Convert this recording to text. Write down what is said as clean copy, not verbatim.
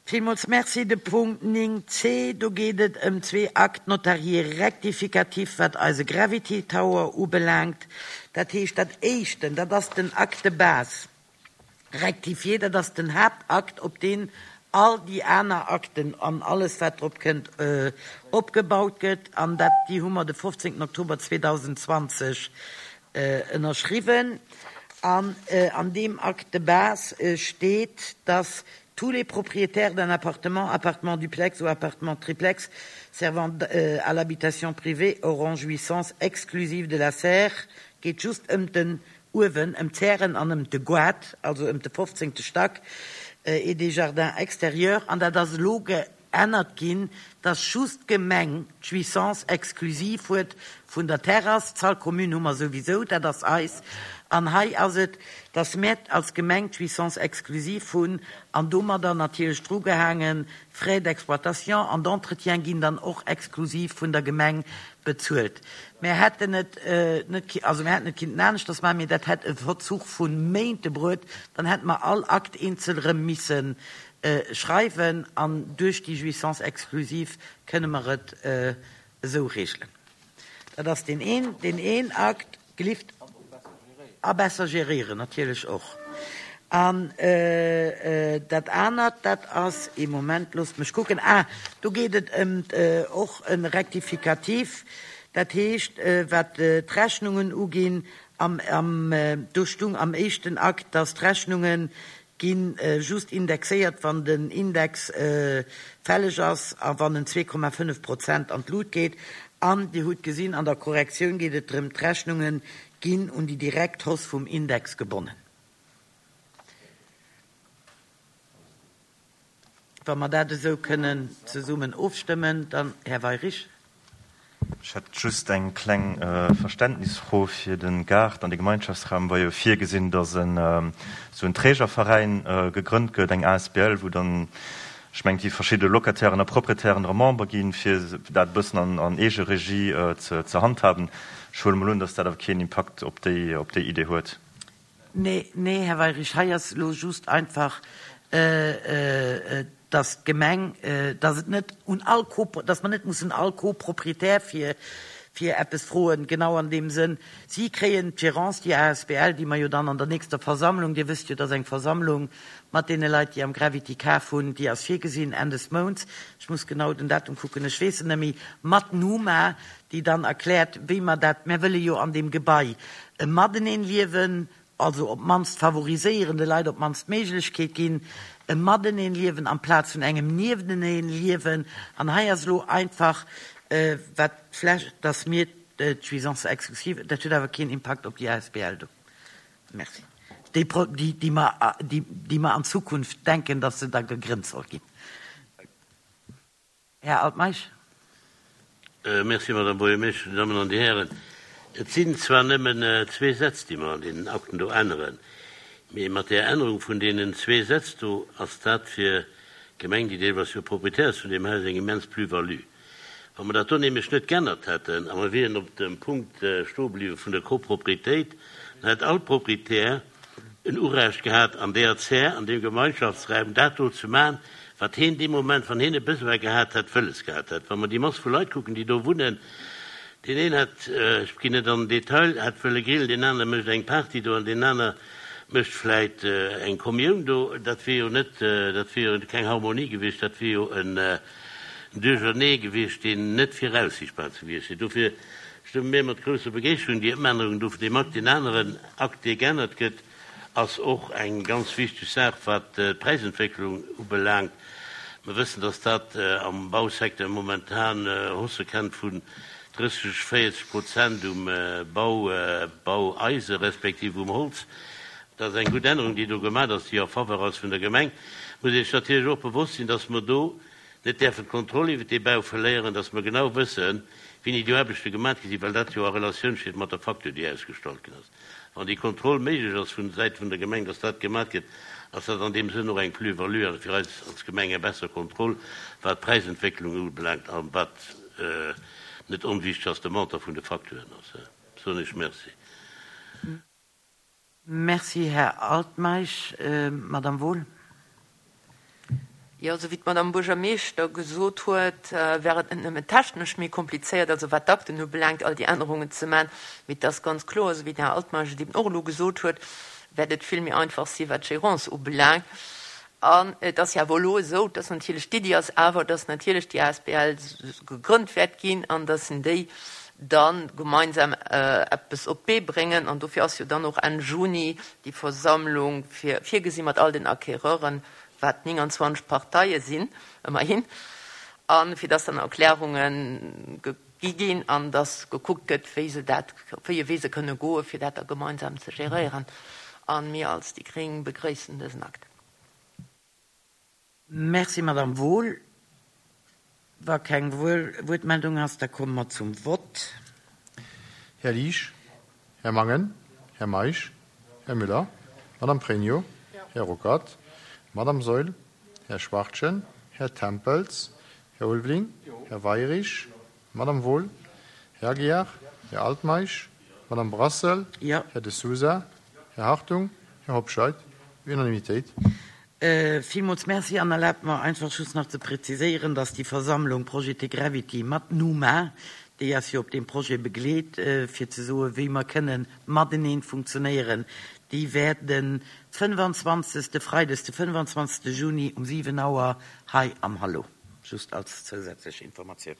Villmools Merci. De Punkt 9 c, do geet et ëm zwee Actes notariés rectificatifs, wat eise Gravity Tower ubelaangt. Dat heescht, dat éischten, dat ass den Acte de base rectifié, dat ass den Haaptakt, op deen all déi aner Akten an alles, wat drop kënnt, opgebaut gëtt. An dat, déi hu mer de 15 Oktober 2020 ënnerschriwwen. An an deem Acte de base steet, dass tous les propriétaires d'un appartement, appartement duplex ou appartement triplex servant à l'habitation privée auront jouissance exclusive de la serre, geet just ëm den uewen, ëm d'Zären an ëm de Goart, also ëm de fofzéngte Stack, et des jardins extérieurs. An dat ass elo geännert ginn, dass just d'Gemeng d'Jouissance exclusive huet vun der Terrass. D'Salle commune hu mer souwisou, dat ass eis. An hei ass et, dass mär als Gemeng d'Jouissance exclusive hunn an domadder natierlech drugehaangen, Frais d'exploitation an d'entretien ginn dann och exklusiv vun der Gemeng bezuelt. Mär hätten et net, also mär hätten et kinnten aneschters maachen, mee dat hätt e Verzuch vu Méinte bruet. Dann hätte mer all Akt eenzel erëm misse schreiwen an duerch déi Jouissance exclusive kënne mer et esou regelen. Dat ass deen een, deen een Akt. Gelift. A besser geréieren natierlech och. An dat anert, dat ass, ee Moment, loosst mech kucken, ah, do geet et ëm och e Rectificatif, dat heescht, wat d'Rechnungen uginn, am, am, do stung am éischten Akt, dass d'Rechnunge gi just indexéiert, wann den Index fälleg ass a wann en 2,5 Prozent an d'Lut geet. An Dir hutt gesinn, an der Korrektioun geet et drëm, d'Rechnunge ginn un déi direkt Hausse vum Index gebonnen. Wa mer dat esou kënnen zesummen ofstëmmen, dann, Här Weyrich. Ech hätt just eng kleng Verständnisfro fir de Gaart an de Gemeinschaftsraum. War jo virgesinn, datt esou en Trägerveräin gegrënnt gëtt, eng asbl, wou dann, ech mengen, déi verschidde Locatairen a Proprietären dra Member ginn, fir dat e bëssen an Eegeregie ze handhaben. Ech huele mol un, datt dat awer keen Impakt op déi Idee huet. Nee, nee, Här Weyrich, hei ass elo just einfach, dass d'Gemeng, dass et net un all Co, dass mer net mussen all Co-Propriétaire fir, fir eppes froen, genau an deem Sënn. Si kréien d'Gérance, déi asbl, déi mer jo dann an der nächster Versammlung, Dir wësst jo, dass eng Versammlung mat deene Leit, déi am Gravity kaf hunn, déi ass virgesinn Enn des Mounts, ech muss genau den Datum kucken, ech weess en net méi, mat Numa, déi dann erkläert, wéi mer dat, mär wëlle jo an deem Gebai e Mateneen liewen, also op d'mannst favoriséieren, de Leit op d'mannst d'Méiglechkeet ginn, e Mateneen liewen amplaz vun engem Niefteneen liewen. An hei ass elo einfach, wat vläch, dass mir d'Jouissance exclusive, dat huet awer keen Impakt op déi asbl do, merci, déi, déi mer, déi mer an Zukunft denken, dass se da gegrënnt soll ginn. Här Altmeisch. Merci, Madame Buergermeeschtesch, Dir Dammen an Dir Hären. Et sinn zwar nëmmen zwee Sätz, déi mer an deenen Akten do änneren, mee mat där Ännerung vun deenen zwee Sätz do ass dat fir d'Gemeng, déi deelweis jo Proprietär ass vun deem Haus, eng immens Plus-value. Wa mer dat do nämlech net geännert hätten a mer wieren op dem Punkt stoe bliwwe vun der Copropriétéit, dann hätt all Proprietär en Urecht gehat an deeër Zär, an deem Gemeinschaftsraum dat do ze maachen, wat heen dee Moment, wann heen e Besoin gehat hätt, wëlles gehat hätt. Wa mer déi Mass vu Leit kucken, déi do wunnen, deen een hätt, ech ginn net an den Detail, hätt wëlle grillen, deen anere mécht eng Party do an deen aner mécht vläit eng Kommioun do, dat wier jo net, dat wier jo keng Harmonie gewiescht, dat wier jo en Duerchernee gewiescht, deen net viraussichtbar ze gewiescht wier. Dofir stëmme mir mat grousser Begeeschterung déi Ëmännerung do vun deem Akt. Deen aneren Akt, dee geännert gëtt, ass och eng ganz wichteg Saach, wat d'Präisentwécklung ubelaangt. Mer wëssen, dass dat am Bausecteur momentan Haussë kennt vun 30, 40 Prozent um Bau, Baueise respektiv um Holz. Dat ass eng gutt Ännerung, déi do gemaach ass, déi en faveur ass vun der Gemeng. Muss ee sech natierlech och bewosst sinn, dass mer do net däerfen d'Kontroll iwwert dee Bau verléieren, dass mer genau wëssen, wéini déi Aarbechte gemaach gi sinn, well dat jo a Relatioun steet mat der Facture, déi ausgestallt ginn ass. Wann déi Kontroll méiglech ass vun Säite vun der Gemeng, dass dat gemaach gëtt, ass dat an deem Sënn och eng Plus-value a fir eis als Gemeng eng besser Kontroll, wat d'Präisentwécklung ubelaangt a wat net onwichtig ass, de Montant vun de Facturen ass. Soen ech Merci. Merci, Här Altmeisch. Madame Wohl. Jo, esou wéi d'Madame Buergermeeschter gesot huet, wär et net nëmmen technesch méi komplizéiert, also wat d'Akten ubelaangt, all déi Ännerungen ze man, mee et ass ganz kloer, esou wéi den Här Altmeisch et eben och elo gesot huet, wäert et vill méi einfach si wat d'Gérance ubelaangt. An et ass jo awer elo esou, dass natierlech d'Iddi ass awer, dass natierlech déi asbl gegrënnt wäert ginn an dass déi da gemeinsam eppes op d'Bee bréngen. An dofir ass jo dann och Enn Juni déi Versammlung virgesi mat all den Acquéreuren, wat 29 Parteie sinn ëmmerhin, a fir dass dann Erklärunge gi ginn an dass gekuckt gëtt, wéi se dat, op wéi e Wee se kënne goen, fir dat da gemeinsam ze geréieren. A mir als déi gréng begréissen dësen Akt. Merci, Madame Wohl. Wa keng Wuertmeldung ass, da komme mer zum Vott. Här Liesch, Här Mangen, Här Meisch, Här Müller, Madame Pregno, Här Ruckert, Madame Saeul, Här Schwachtgen, Här Tempels, Här Ulveling, Här Weirich, Madame Wohl, Här Aguiar, Här Altmeisch, Madame Brassel, Här De Sousa, Här Hartung, Här Hobscheit. Unanimitéit. Villmools Merci an erlaabt mer einfach just nach ze präziséieren, dass déi Versammlung Projet Gravity mat Numa, déi eis jo op deem Projet begleet, fir ze soen, wéi mer kënnen mateneen funktionéieren, déi wäert de 25., freides de 25. Juni um 7 Auer hei am Hallo. Just als zousätzlech Informatioun.